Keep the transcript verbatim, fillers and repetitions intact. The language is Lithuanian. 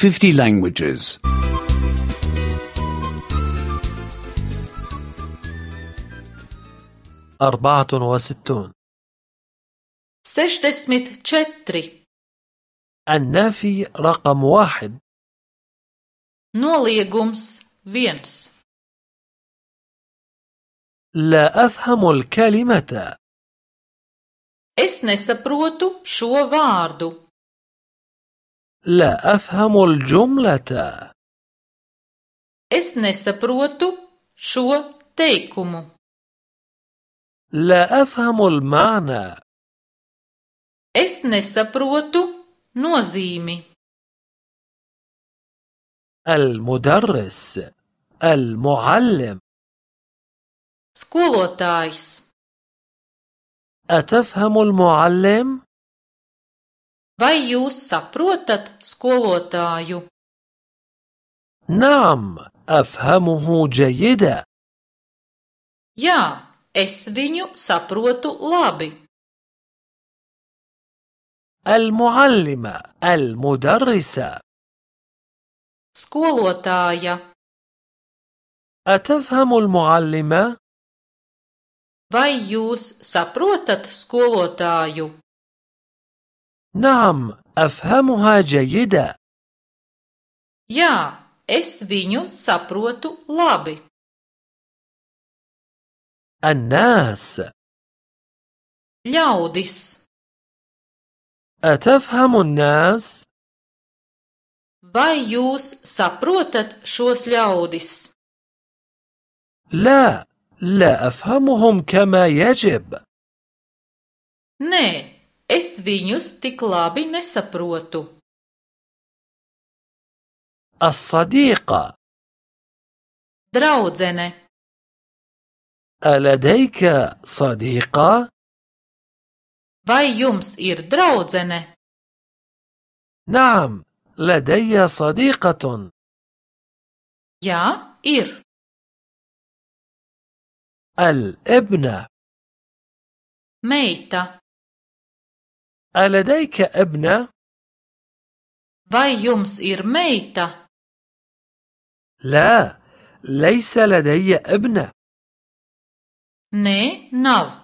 fifty languages. أربعة وستون. sešdesmit četri. النافي رقم واحد. Noliegums viens. لا أفهم الكلمة. Es nesaprotu šo vārdu. لا أفهم الجملة. Es nesaprotu šo teikumu. لا أفهم المعنى. Es nesaprotu nozīmi. المدرس. المعلم. Skolotājs. أتفهم المعلم؟ Vai jūs saprotat skolotāju? نعم أفهمه جيدا. Jā, es viņu saprotu labi. المعلمة. المدرسة. Skolotāja. أتفهم المعلمة؟ Vai jūs saprotat skolotāju? نعم أفهمها جيدا. Jā, es viņu saprotu labi. الناس. Ļaudis. أتفهم الناس؟ Vai jūs saprotat šos ļaudis? لا لا أفهمهم كما يجب. Nē, es viņus tik labi nesaprotu. الصديقة. Draudzene. ألديك صديقة؟ Vai jums ir draudzene? نعم لدي صديقة. Jā, ir. الابنة. Meita. ألديك ابنة؟ Vai jums ir meita? لا ليس لدي ابنة. Nē, nav.